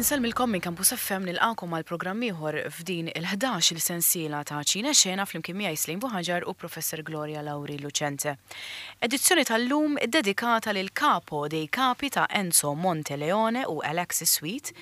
Insellmilkom minn Campus FM nilqakom għal programm ieħor f'din il-11 il sensiela ta' Ċine Xena flimkien miegħi Slejn Buħaġar u Professor Gloria Lauri Lucente. Edizzjoni tal-lum iddedikata lil Capo dei Capi ta' Enzo Monteleone u Alexis Sweet,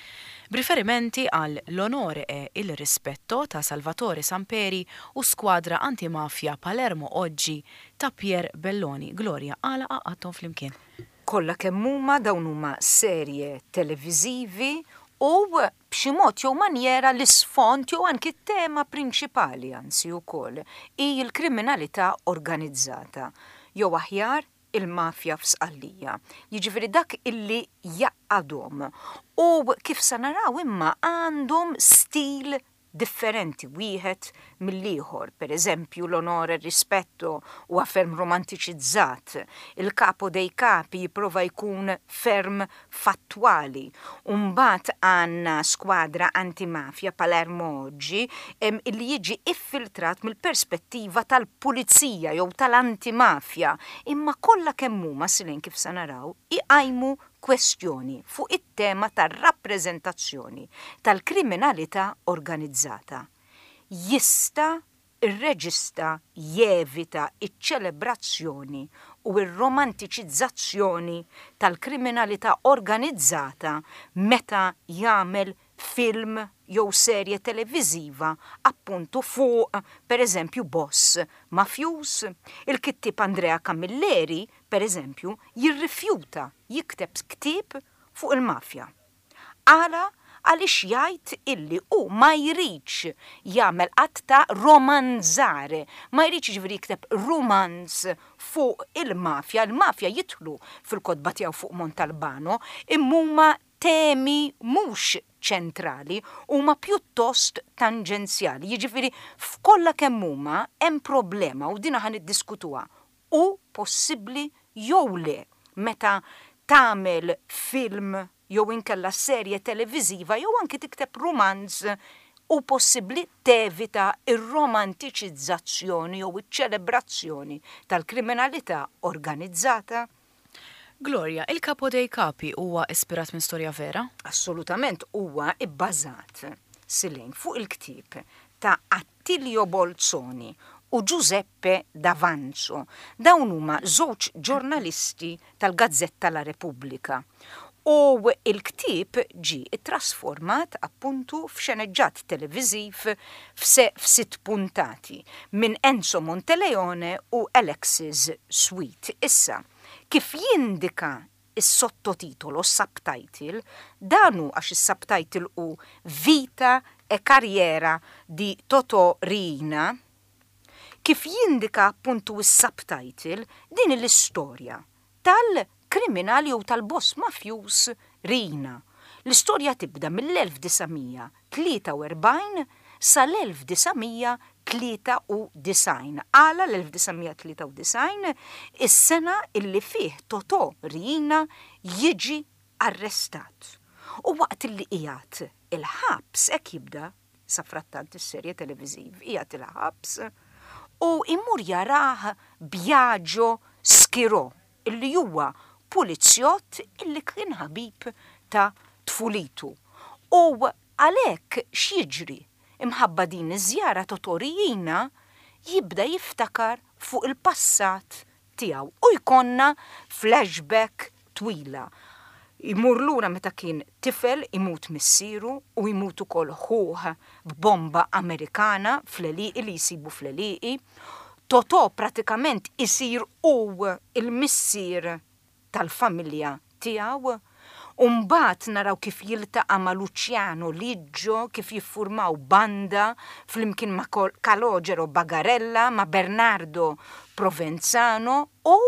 b'riferimenti għal L'onore e il rispetto ta' Salvatore Samperi u Squadra Antimafia Palermo Oggi ta' Pier Belloni. Gloria, għala għaqqadthom flimkien? Kollha kemm huma dawn huma serje televiżivi u b'xi mod jew manjera l-isfond jew anki t-tema prinċipali anzi wkoll hi l-kriminalità organizzata jew aħjar il-mafja f'Sqallija. Jiġifieri dak illi jgħaqqadhom u kif sa naraw imma għandhom stil differenti wieħed mill-ieħor. Per eżempju, L'onore e il rispetto huwa ferm romantiċizzat, Il capo dei capi jipprova jkun ferm fattwali. U mbagħad għandna Squadra Antimafia, Palermo Oggi, illi jiġi iffiltrat mill-perspettiva tal-pulizija jew tal-antimafja. Imma kollha kemm huma, Silene kif sa naraw, iqajmu kwestjoni fuq it-tema tar-rappreżentazzjoni tal-kriminalità organizzata. Jista' r-reġista jevita ċ-ċelebrazzjoni u r-romantiċizzazzjoni tal-kriminalità organizzata meta jagħmel film jew serje televiżiva appuntu fuq, pereżempju, boss mafjuż? Il-kittieb Andrea Camilleri, pereżempju, jirrifjuta jikteb ktieb fuq il-mafja. Għala? Għaliex jgħid illi hu ma jridx jagħmel att ta' romanzar, ma jridx jiġifieri jikteb rumanz fuq il-mafja, il-mafja jidħlu fil-kotba tiegħu fuq Montalbano, imma huma temi mhux ċentrali, huma pjuttost tanġenzjali. Jiġifieri f'kollha kemm huma hemm problema u dina ħa niddiskutuha. Hu possibbli jew le meta tagħmel film jew inkella serje televiżiva jew anki tikteb rumanz hu possibbli tevita r-romantiċizzazzjoni jew iċ-ċelebrazzjoni tal-kriminalità organizzata? Gloria, Il Capo dei Capi huwa ispirat minn storja vera? Assolutament huwa bbażat, Silene, fuq il-ktieb ta' Attilio Bolzoni u Giuseppe D'Avanzo. Dawn huma żewġ ġurnalisti tal-gazzetta La Repubblica. U l-ktieb ġie ttrasformat appuntu f'xeneġġat televiżiv f'sitt puntati minn Enzo Monteleone u Alexis Sweet. Issa, kif jindika s-sottotitolo, subtitle, dan hu għax is-subtitle hu Vita e carriera di Totò Riina, kif jindika appuntu s-subtitle, din hi l-istorja tal-kriminal jew tal-boss mafjuż Riina. L-istorja tibda mill-1943 sal-1993. Għala l-1993? Is-sena illi fih Totò Riina jiġi arrestat. U waqt illi qiegħed il-ħabs, hekk jibda safrattant is-serje televiżiv, qiegħed il-ħabs u jmur jarah Biagio Schirò illi huwa pulizjott illi kien ħabib ta' tfulitu. U għalhekk x'jiġri? Imħabba din iż-żjara Totò Riina jibda jiftakar fuq il-passat tiegħu u jkollna flashback twila. Jmur lura meta kien tifel, imut missieru u jmut ukoll ħuh b'bomba Amerikana fl-għelieqi li jsibu fl-għelieqi. Totò pratikament isir hu l-missier tal-familja tiegħu. U mbagħad naraw kif jiltaqa' ma' Luciano Liggio, kif jiffurmaw banda flimkien ma' Calogero Bagarella, ma' Bernardo Provenzano u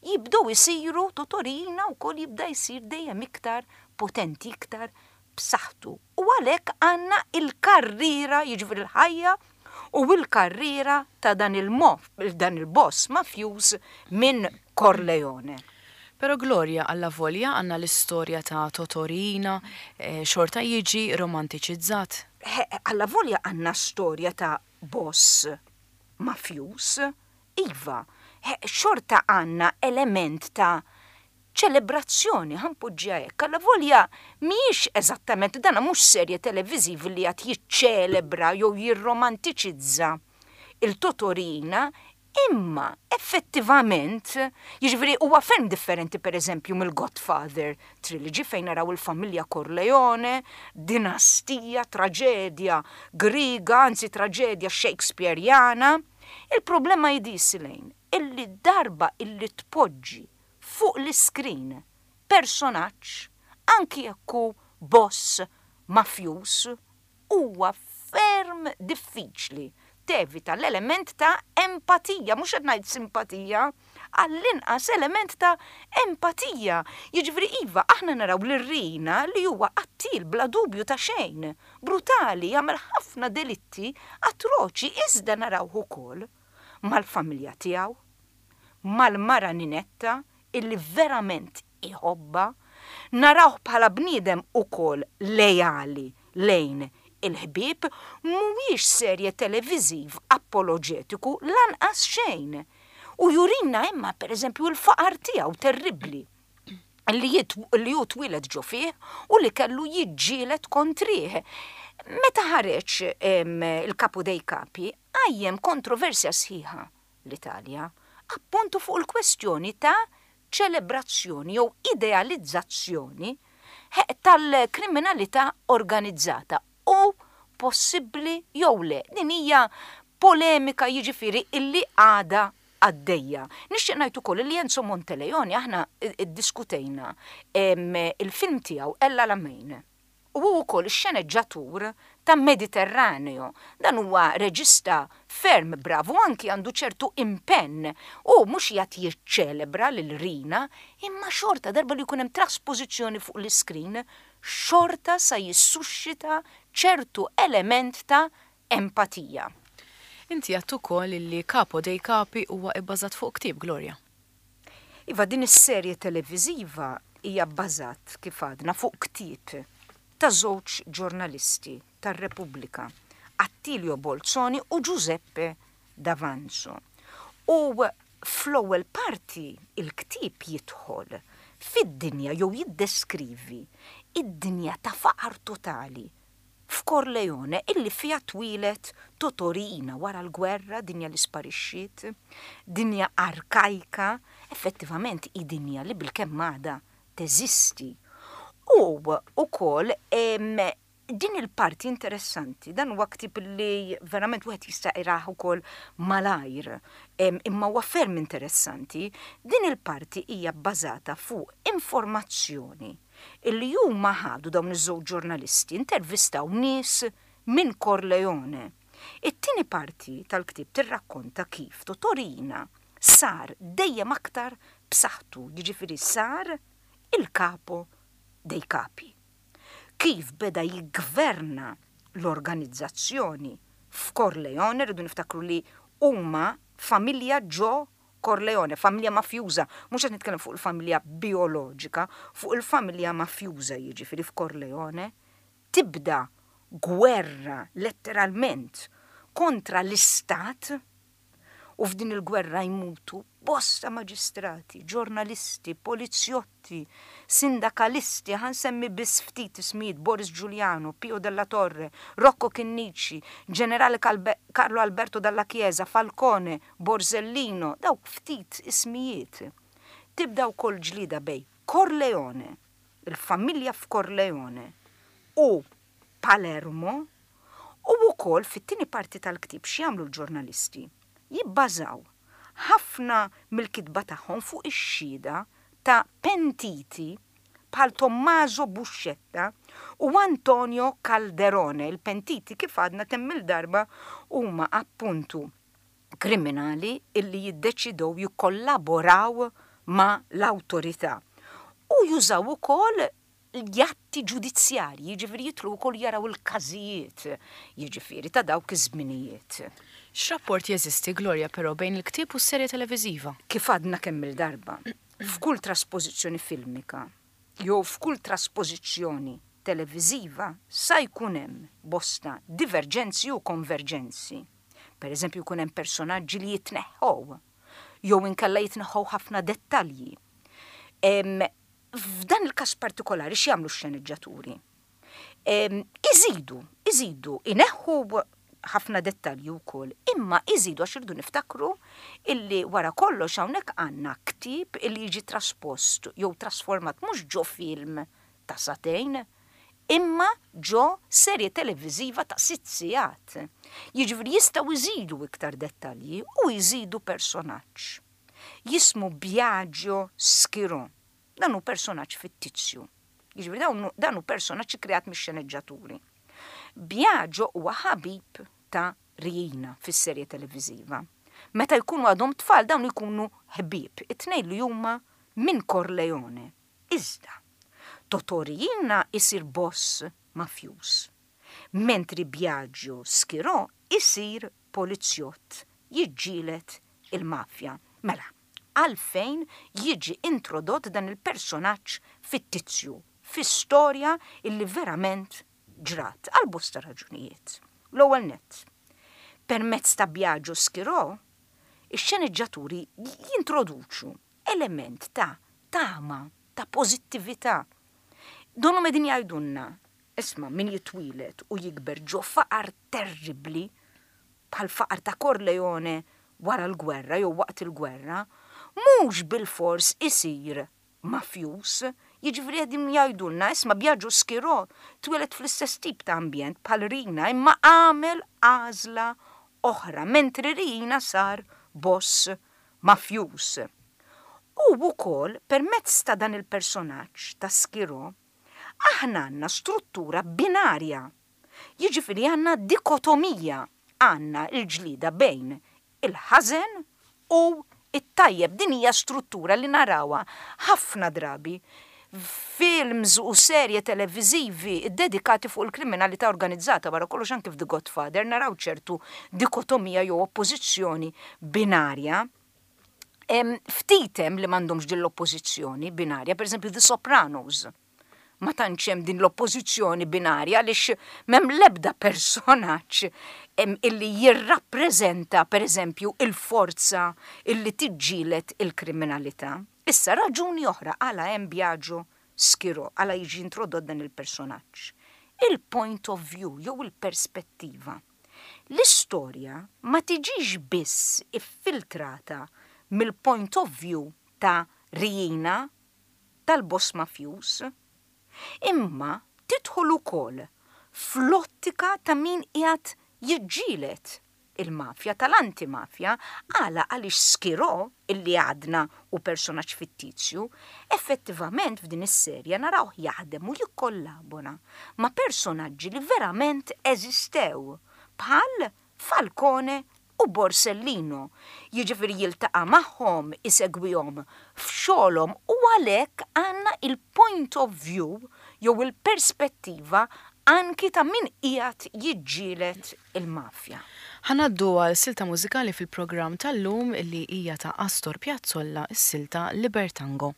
jibdew isiru Totò Riina wkoll jibda jsir dejjem iktar potenti, iktar b'saħħtu. U għalhekk għandna l-karriera, jiġifieri l-ħajja u l-karriera ta' dan dan il-boss mafjuż minn Corleone. Però Gloria, allavolja għandna l-istorja ta' Totò Riina, xorta jiġi romantiċizzat. Allavolja għandna storja ta' boss mafjuż, iva, xorta għandna element ta' ċelebrazzjoni, ħa npoġġiha hekk, allavolja mhijiex eżattament, dana mhux serje televiżiv li qed jiċċelebra jew jirromantiċizza il-Totorina, imma effettivament, jiġifieri huwa ferm differenti pereżempju mill-Godfather trilogy fejn naraw il-familja Corleone, dinastija, traġedja Griega, anzi traġedja Shakespeareana. Il-problema hi di, Silane, illi darba illi tpoġġi fuq l-iskrin personaġġ, anki jekk hu boss mafjuż, huwa ferm diffiċli tevita l-element ta' empatija, mhux qed ngħid simpatija, għall-inqas element ta' empatija. Jiġifieri iva, aħna naraw lil Riina li huwa qattiel bla dubju ta' xejn, brutali, jagħmel ħafna delitti atroċi iżda narawh ukoll mal-familja tiegħu, mal-mara Ninetta illi verament iħobbha, narawh bħala bniedem ukoll leali lejn il-ħbieb, mhuwiex serje televiżiv apoloġetiku lanqas xejn. U jurina imma pereżempju l-faqar tiegħu terribbli li li hu twieled ġo fih u li kellu jiġġieled kontrih. Meta ħareġ il-Capo dei Capi qajjem kontroversja sħiħa l-Italja, appuntu fuq il-kwestjoni ta' ċelebrazzjoni jew idealizzazzjoni tal-kriminalità organizzata u possibbli jew le. Din hija polemika jiġifieri illi għadha għaddejja. Nixtieq ngħid ukoll li Enzo Monteleone aħna ddiskutejna il-film tiegħu El Alamein. U hu wkoll ix-xeneġġatur ta' Mediterraneo. Dan huwa reġista ferm brav u anki għandu ċertu impenn. Hu mhux qiegħed jiċċelebra lil Rina, imma xorta darba li jkun hemm traspożizzjoni fuq l-iskrin, xorta sa jissuxxita ċertu element ta' empatija. Inti għedt ukoll illi Capo dei Capi huwa ibbażat fuq ktieb, Gloria. Iva, din is-serje televiżiva hija bbażat, kif għadna, fuq ktieb ta' żewġ ġurnalisti tar-Repubblika, Attilio Bolzoni u Giuseppe D'Avanzo. U fl-ewwel parti il-ktieb jidħol fid-dinja jew jiddeskrivi d-dinja ta' faqar totali f'Corleone illi fiha twieled Totò Riina wara l-gwerra, dinja li sparixxiet, dinja arkajka, effettivament hi dinja li bilkemm għadha teżisti. U wkoll din il-parti interessanti, dan huwa ktieb li verament wieħed jista' jqrah ukoll malajr, imma huwa ferm interessanti, din il-parti hija bbażata fuq informazzjoni illi huma ħadu dawn iż-żewġ ġurnalisti intervistaw nies minn Corleone. It-tieni parti tal-ktieb tirrakkonta kif Totò Riina sar dejjem aktar b'saħħtu, jiġifieri sar il-capo dei capi. Kif beda jiggverna l-organizzazzjoni f'Corleone, rridu niftakru li huma familja ġo Corleone, familja mafjuża, mhux qed nitkellem fuq il-familja bijoloġika, fuq il-familja mafjuża jiġifieri f'Corleone, tibda gwerra letteralment kontra l-istat u f'din il-gwerra jmutu bosta maġistrati, ġurnalisti, polizjotti, Giolitti, sindakalisti, ħa nsemmi biss ftit ismijiet, Boris Giuliano, Pio Della Torre, Rocco Chinnici, Ġenerali Carlo Alberto Dalla Chiesa, Falcone, Borsellino, dawk ftit ismijiet. Tibda wkoll ġlieda bejn Corleone, il-familja f'Corleone, u Palermo, u wkoll fit-tieni parti tal-ktieb x'jagħmlu l-ġurnalisti? Jibbażaw ħafna mill-kitba tagħhom fuq ix-xhieda ta' pentiti bħal Tommaso Buscetta u Antonio Calderone. Il-pentiti kif għadna kemm-il darba huma appuntu kriminali illi jiddeċidew jikkollaboraw ma' l-awtorità u jużaw ukoll l-atti ġudizzjarji, jiġifieri jidħlu wkoll jaraw il-każijiet, jiġifieri ta' dawk iż-żminijiet. X'rapport jeżisti, Gloria, però bejn il-ktieb u s-serje televiżiva? Kif għadna kemm-il darba, f'kull traspożizzjoni filmika jew f'kull traspożizzjoni televiżiva sa jkun hemm bosta diverġenzi u konverġenzi. Per eżempju jkun hemm personaġġi li jitneħħew jew inkella jitneħħew ħafna dettalji. F'dan il-każ partikolari x'jagħmlu x-xeneġġaturi? Iżidu, iżidu, ineħħu ħafna dettalji wkoll, imma iżidu għax irridu niftakru illi wara kollox hawnhekk għandna ktieb illi jiġi traspost jew trasformat mhux ġo film ta' sagħtejn, imma ġo serje televiżiva ta' sitt sigħat. Jiġifieri jistgħu jżidu iktar dettalji u jżidu personaġġ. Jismu Biagio Schirò. Dan hu personaġġ fittizju. Jiġifieri dawn dan hu personaġġ ikkreat mix-xeneġġaturi. Biagio huwa ħabib ta' Riina fis-serje televiżiva. Meta jkunu għadhom tfal dawn ikunu ħbieb, it-tnejn li huma minn Corleone. Iżda, Totò Riina jsir boss mafjuż, mentri Biagio Schirò jsir polizzjott jiġġieled il-mafja. Mela, għalfejn jiġi introdott dan il-personaġġ fittizju fi storja illi verament ġrat? Għal bosta raġunijiet. L-ewwel nett, permezz ta' Biagio Schirò, ix-xeneġġaturi jintroduċu element ta' tama, ta' pożittività. Donnhom qegħdin jgħidulna, isma' min jitwieled u jikber ġo faqar terribbli, bħall-faqar ta' Corleone wara l-gwerra jew waqt il-gwerra, mhux bilfors isir mafjuż. Jiġifieri qegħdin jgħidulna, isma' Biagio Schirò twieled fl-istess tip ta' ambjent bħal Riina imma għamel għażla oħra mentri Riina sar boss mafjuż. U wkoll permezz ta' dan il-personaġġ ta' Schirò aħna għandna struttura binarja. Jiġifieri għandna dikotomija, għandna l-ġlieda bejn il-ħażen u t-tajjeb. Din hija struttura li narawha ħafna drabi f'films u serje televiżivi ddedikati fuq il-kriminalità organizzata, wara kollox anki f'The Godfather naraw ċertu dikotomija jew oppożizzjoni binarja. Ftit hemm li m'għandhomx din l-oppożizzjoni binarja, pereżempju The Sopranos. Ma tantx hemm din l-oppożizzjoni binarja għaliex m'hemm l-ebda personaġġ illi jirrappreżenta pereżempju il-forza illi tiġġieled il-kriminalità. Issa raġuni oħra għala hemm Biagio Schirò, għala jiġi introdott dan il-personaġġ. Il-point of view jew il-perspettiva. L-istorja ma tiġix biss iffiltrata mill-point of view ta' Riina tal-boss mafjuż, imma tidħol ukoll fl-ottika ta' min qiegħed jiġġieled il-mafja, tal-anti-mafja, għala għaliex Schirò, illi għadna hu personaġġ fittizju, effettivament f'din is-serje narawh jaħdem u jikkollabora ma' personaġġi li verament eżistew, bħal Falcone u Borsellino, jiġifieri jiltaqa' magħhom, isegwihom f'xogħolhom u għalhekk għandna il-point of view jew il-perspettiva anki ta' min qiegħed jiġġieled il-mafja. Ħa ngħaddu għal silta mużikali fil-programm tal-lum li hija ta' Astor Piazzolla, is-silta Libertango.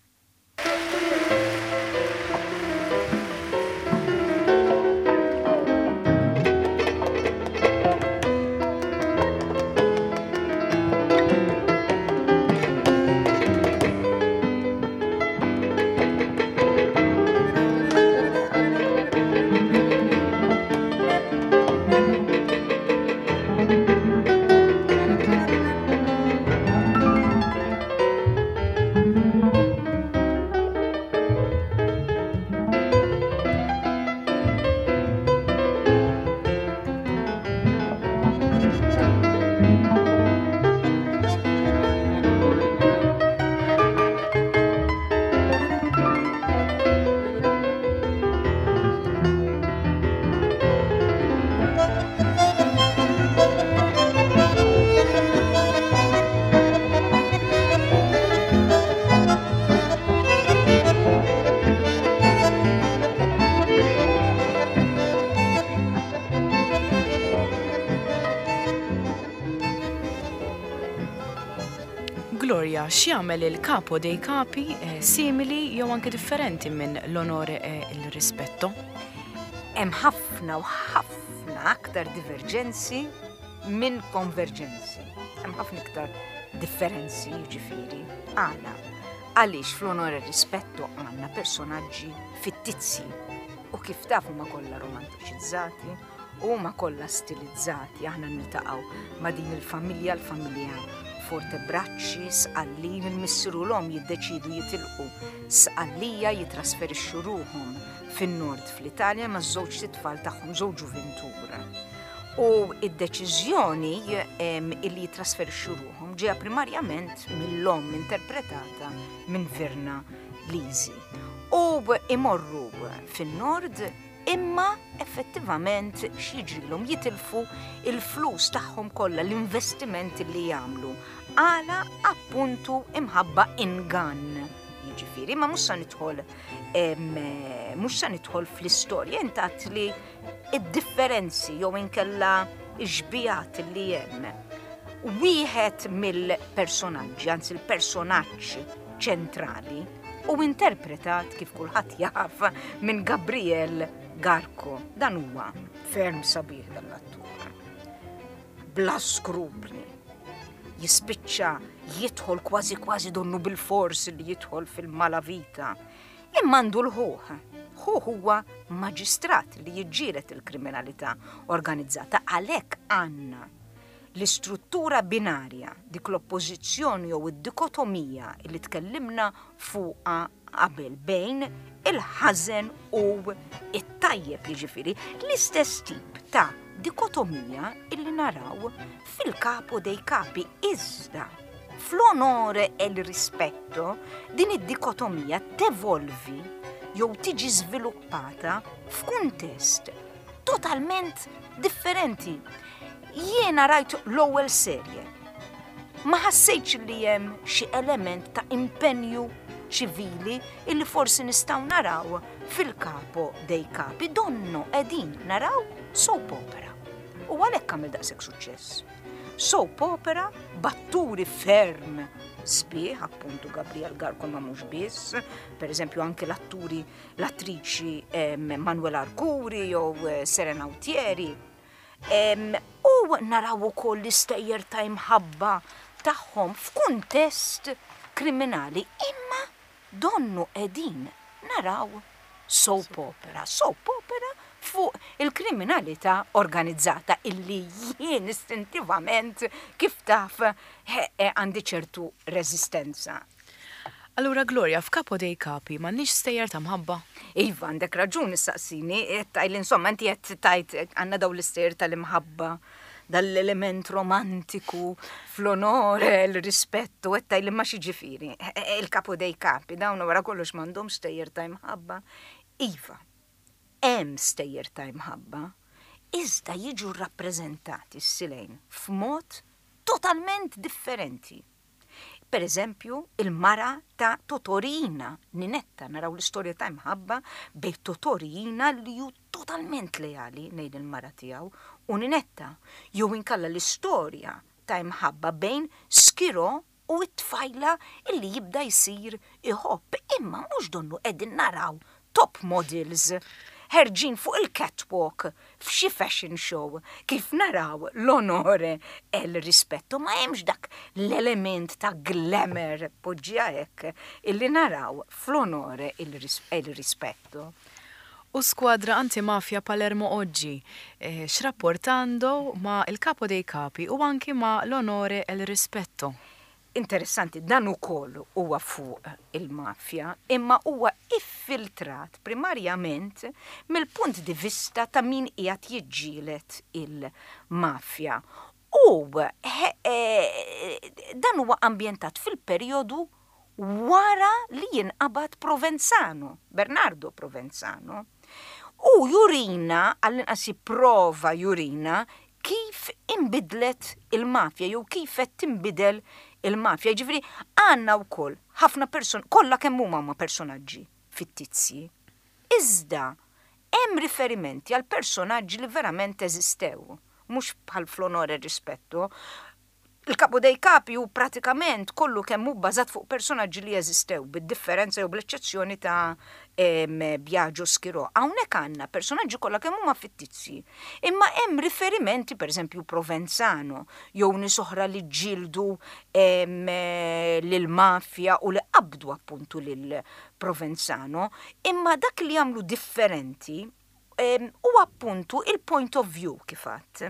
Gloria, x'jagħmel il-Capo dei Capi eh, simili jew anke differenti minn l-onore e il rispetto? Hemm ħafna u ħafna aktar diverġenzi minn konverġenzi. Hemm ħafna iktar differenzi, jiġifieri. Għala? Għaliex fl-Onore e Rispetto għandna personaġġi fittizji u kif taf huma kollha romantiċizzati, huma kollha stilizzati, aħna niltaqgħu ma' din il-familja, l-familja Fortebracci, Sqallin, il-missier u l-omm jiddeċiedu jitilqu Sqallija jitrasferixxu ruħhom fin-nord fl-Italja maż-żewġt itfal tagħhom, żewġ ġuvintur. U id-deċiżjoni illi jitrasferixxu ruħhom ġeja primarjament mill-omm interpretata minn Virna Lisi. U imorru fin-nord imma effettivament x'jiġrilhom jitilfu il-flus tagħhom kollha l-investiment li jagħmlu. Għala appuntu imħabba ingann. Jiġifieri, ma mhux sa nidħol mhux sa nidħol fl-istorja intat li id-differenzi jew inkella x-xbijat li hemm. Wieħed mill-personaġġi, anzi il-personaġġ ċentrali, u interpretat kif kulħadd jaf minn Gabriel Garko. Dan huwa ferm sabiħ dan l-attur. Bla skrupli. Jispiċċa jidħol kważi kważi donnu bil-fors li jidħol fil-malavita. Imma għandu l-ħuħ. Ħuh huwa maġistrat li jiġġieled il-kriminalità organizzata għalhekk għandna l-istruttura binarja, dik l-oppożizzjoni jew id-dikotomija li tkellimna fuqha qabel bejn il-ħażen u it-tajjeb jiġifieri l-istess tip ta' dikotomija illi naraw f'Il Capo dei Capi iżda fl-Onore e il Rispetto din id-dikotomija tevolvi jew tiġi żviluppata f'kuntest totalment differenti. Jiena rajt l-ewwel serje. Ma ħassejtx li hemm xi element ta' impenju ċivili illi forsi nistgħu naraw f'Il Capo dei Capi. Donno qegħdin naraw soap opera. U għalhekk għamel daqshekk suċċess. Soap opera b'atturi ferm sbieħ, appuntu Gabriel Garko ma mhux biss, per eżempju anke l-atturi l-attriċi Manuela Arcuri jew eh, Serena Autieri. U naraw ukoll l-istejjer ta' imħabba tagħhom f'kuntest kriminali, imma donnu qegħdin naraw soap opera, soap opera fuq il-kriminalità organizzata illi jien istintivament kif taf għandi ċertu reżistenza. Allura Gloria, f'Capo dei Capi m'għandniex stejjer ta' mħabba? Iva, għandek raġun issaqsini, qed tgħidli insomma inti qed tgħid għandna dawn l-istejjer tal-imħabba, dal-element romantiku fl-onore, l-rispettu, qed tgħidli ma x'jiġifieri. Il Capo dei Capi dawn wara kollox m'għandhomx stejjer ta' imħabba. Iva, hemm stejjer ta' imħabba, iżda jiġu rrappreżentati s-silejn f'mod totalment differenti. Per eżempju, il-mara ta' Totò Riina, Ninetta, naraw l-istorja ta' imħabba bejn Totò Riina li hu totalment leali lejn il-mara tiegħu u Ninetta, jew inkella l-istorja ta' imħabba bejn Schirò u t-tfajla li jibda jsir iħobb, imma mhux donnu qegħdin naraw top models ħerġin fuq il-catwalk f'xi fashion show kif naraw l-Onore e il Rispetto ma hemmx dak l-element ta' glamour poġġiha hekk illi naraw fl-Onore e il Rispetto. U Squadra Antimafia Palermo Oggi eh, x'rapport għandu ma' Il Capo dei Capi u anki ma' l-Onore e il Rispetto? Interessanti, dan ukoll huwa fuq il-mafja, imma huwa iffiltrat primarjament mill-punt di vista ta' min qiegħed jiġġieled il-mafja. U dan huwa ambjentat fil-perjodu wara li jinqabad Provenzano, Bernardo Provenzano. U jurina, għall-inqas jipprova jurina, kif inbidlet il-mafja jew kif qed tinbidel il-mafja. Jiġifieri għandna wkoll ħafna person kollha kemm huma huma personaġġi fittizji. Iżda hemm riferimenti għal personaġġi li verament eżistew, mhux bħal fl-Onore e Rispetto. Il Capo dei Capi hu pratikament kollu kemm hu bbażat fuq personaġġi li jeżistew, bid-differenza jew bl-eċċezzjoni ta' Biagio Schirò. Hawnhekk għandna personaġġi kollha kemm huma fittizji, imma hemm riferimenti, pereżempju Provenzano, jew nies oħra li ġġieldu lill-mafja u li qabdu appuntu lil Provenzano, imma dak li jagħmlu differenti hu appuntu il-point of view kif għadt.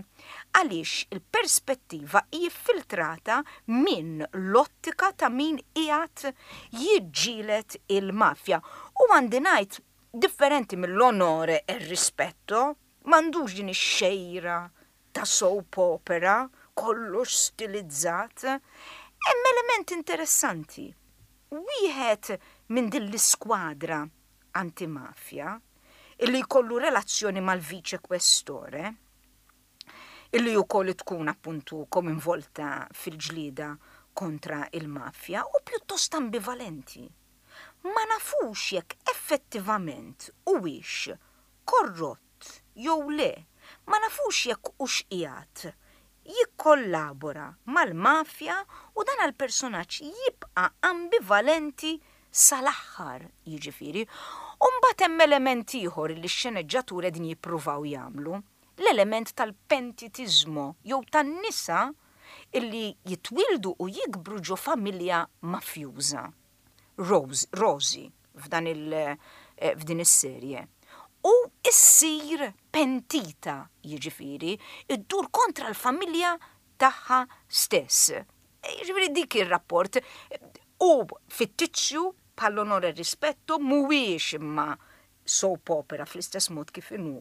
Għaliex il-perspettiva hi ffiltrata minn l-ottika ta' min qiegħed jiġġieled il-mafja. U għandi ngħid differenti mill-Onore e Rispetto, m'għandux din ix-xejra ta' soap opera, kollox stilizzat. Hemm element interessanti. Wieħed minn din l-iskwadra antimafja illi jkollu relazzjoni mal-viċe kwestore, illi wkoll tkun appuntu kominvolta fil-ġlieda kontra il-mafja u pjuttost ambivalenti. Ma nafux jekk effettivament huwiex korrott jew le, ma nafux jekk hux qiegħed jikkollabora mal-mafja u dan għall-personaġġ jibqa' ambivalenti sal-aħħar, jiġifieri. U mbagħad hemm element ieħor li x-xeneġġaturi qegħdin jippruvaw jagħmlu, l-element tal-pentitiżmo jew tan-nisa illi jitwieldu u jikbru ġo familja mafjuża. Rose, Rosie f'dan il f'din is-serje. U issir pentita, jiġifieri, iddur kontra l-familja tagħha stess. Jiġifieri dik ir-rapport hu fittizju bħall-Onore e Rispetto mhuwiex imma soap opera fl-istess mod kif inhu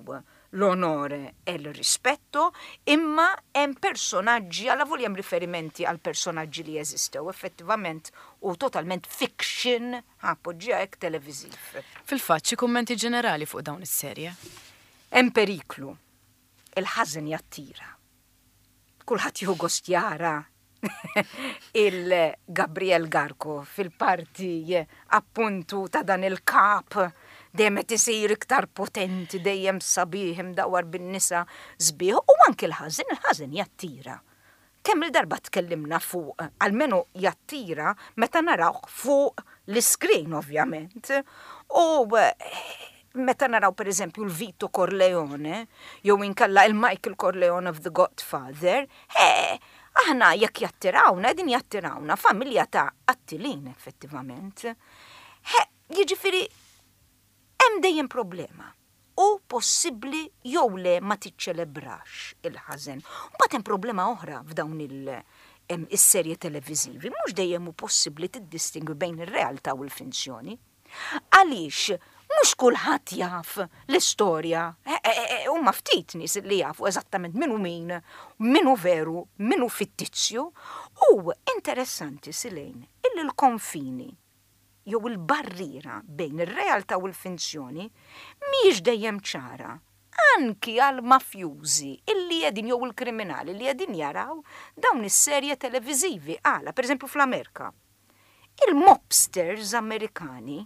l-Onore e il Rispetto, imma hemm personaġġi, allavolja hemm riferimenti għal personaġġi li jeżistew effettivament u totalment fiction, ħa poġġiha hekk, televiżiv. Fil-fatt, xi kummenti ġenerali fuq dawn is-serje? Hemm periklu. Il-ħażen jattira. Kulħadd jieħu gost jara il-Gabriel Garko fil-parti appuntu ta' dan il-kap dejjem qed isir iktar potenti, dejjem sabiħ imdawwar bin-nisa sbieħ u anki l-ħażin, il-ħażin jattira. Kemm il-darba tkellimna fuq, almenu jattira meta narawh fuq l-iskrin ovvjament. U meta naraw pereżempju l-Vito Corleone, jew inkella il-Michael Corleone of The Godfather, aħna jekk jattirawna, qegħdin jattirawna familja ta' qattilin effettivament. Jiġifieri hemm dejjem problema. Hu possibbli jew le ma tiċċelebrax il-ħażen. Mbagħad hemm problema oħra f'dawn il-serje televiżivi, mhux dejjem hu possibbli tiddistingwi bejn ir-realtà u l-finzjoni. Għaliex mhux kulħadd jaf l-istorja, huma ftit nies li jafu eżattament min hu min, min hu veru, min hu fittizju, u interessanti Silejn illi l-konfini jew il-barriera bejn ir-realtà u l-finzjoni mhijiex dejjem ċara, anki għall-mafjużi illi qegħdin jew il-kriminali li qegħdin jaraw dawn is-serje televiżivi. Għala, pereżempju fl-Amerika, il-mobsters Amerikani,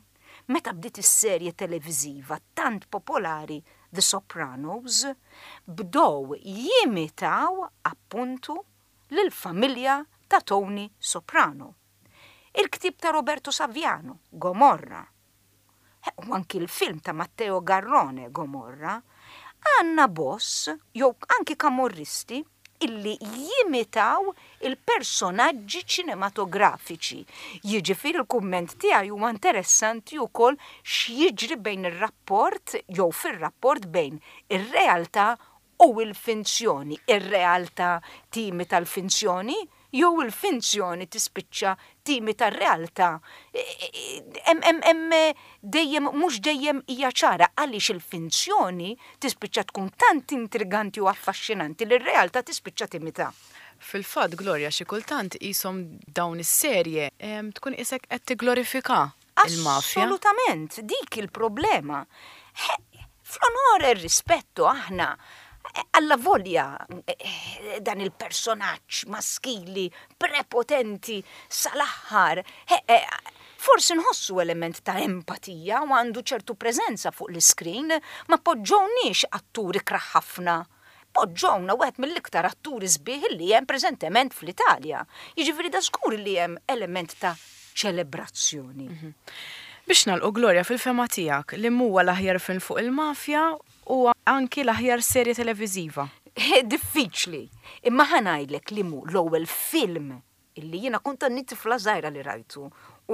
meta bdiet is-serje televiżiva tant popolari The Sopranos, bdew jimitaw appuntu lill-familja ta' Tony Soprano. Il-ktieb ta' Roberto Saviano, Gomorra, u anki l-film ta' Matteo Garrone, Gomorra, għandna boss jew anki kamorristi illi jimitaw il-personaġġi ċinematografiċi. Jiġifieri l-kumment tiegħi huwa interessanti wkoll x'jiġri bejn ir-rapport jew fir-rapport bejn ir-realtà u l-finzjoni. Ir-realtà timita l-finzjoni jew il-finzjoni tispiċċa timita r-realtà. Hemm dejjem mhux dejjem hija ċara għaliex il-finzjoni tispiċċa tkun tant intriganti u affaxxinanti li r-realtà tispiċċa timita. Fil-fatt, Gloria, xi kultant qishom dawn is-serje tkun qisek qed tigglorifika il-mafja. Assolutament, dik il-problema. Fl-Onore e Rispetto aħna allavolja dan il-personaġġ maskili prepotenti sal-aħħar, forsi nħossu element ta' empatija u għandu ċertu preżenza fuq l-iskrin, ma poġġowniex attur ikrah ħafna. Poġġowna wieħed mill-iktar atturi sbieħ li hemm preżentement fl-Italja. Jiġifieri da żgur li hemm element ta' ċelebrazzjoni. Biex nagħlqu Gloria fil-fehma tiegħek, liem huwa l-aħjar film fuq il-mafja u anki l-aħjar serje televiżiva? Diffiċli, imma ħa ngħidlek li mhu l-ewwel film illi jiena kont għadni tifla żgħira li rajtu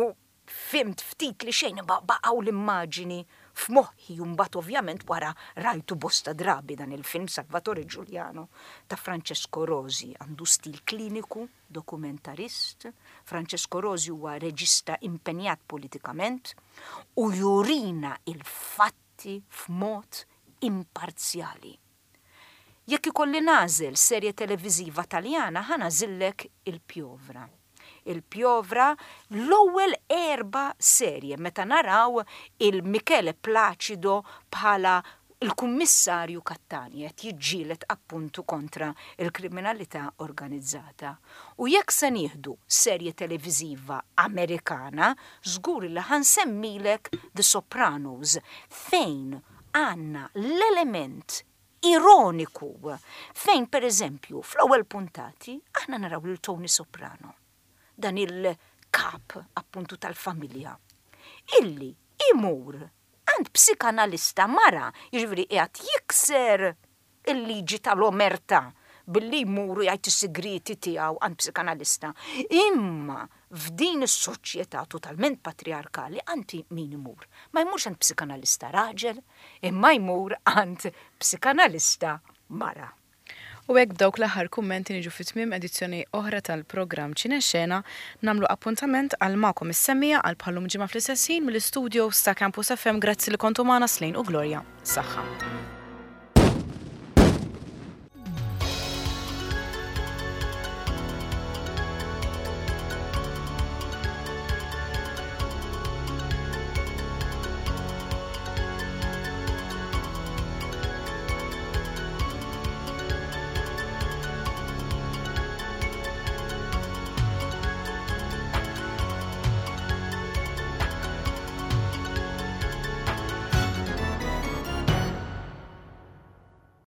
u fhimt ftit li xejn imma baqgħu l-immaġini f'moħħi u mbagħad ovvjament wara rajtu bosta drabi dan il-film Salvatore Giuliano ta' Francesco Rosi għandu stil kliniku, dokumentarist. Francesco Rosi huwa reġista impenjat politikament u jurina il-fatti f'mod imparzjali. Jekk ikolli nagħżel serje televiżiva Taljana ħa nagħżillek Il-Piovra. Il-Piovra l-ewwel erba' serje meta naraw il Michele Placido bħala l-Kummissarju Cattani qed jiġġieled appuntu kontra l-kriminalità organizzata. U jekk se nieħdu serje televiżiva Amerikana żgur li ħa nsemmilek The Sopranos fejn għandna l-element ironiku fejn per eżempju fl-ewwel puntati aħna naraw lil Tony Soprano, dan il-kap appuntu tal-familja, illi imur għand psikanalista mara, jiġifieri qiegħed jikser il-liġi tal-omertà billi jmur u jgħid is-sigrieti tiegħu għand psikanalista. Imma f'din is-soċjetà totalment patriarkali għand min imur? Ma jmurx għand psikanalista raġel, imma jmur għand psikanalista mara. U hekk b'dawk l-aħħar kummenti niġu fi tmiem edizzjoni oħra tal-programm Ċinexena, nagħmlu appuntament għal magħkom is-semmiegħa għal bħal-lum ġimgħa fl-istess ħin mill-istudios ta' Campus FM. Grazzi li kontu magħna Slane u Gloria. Saħħa.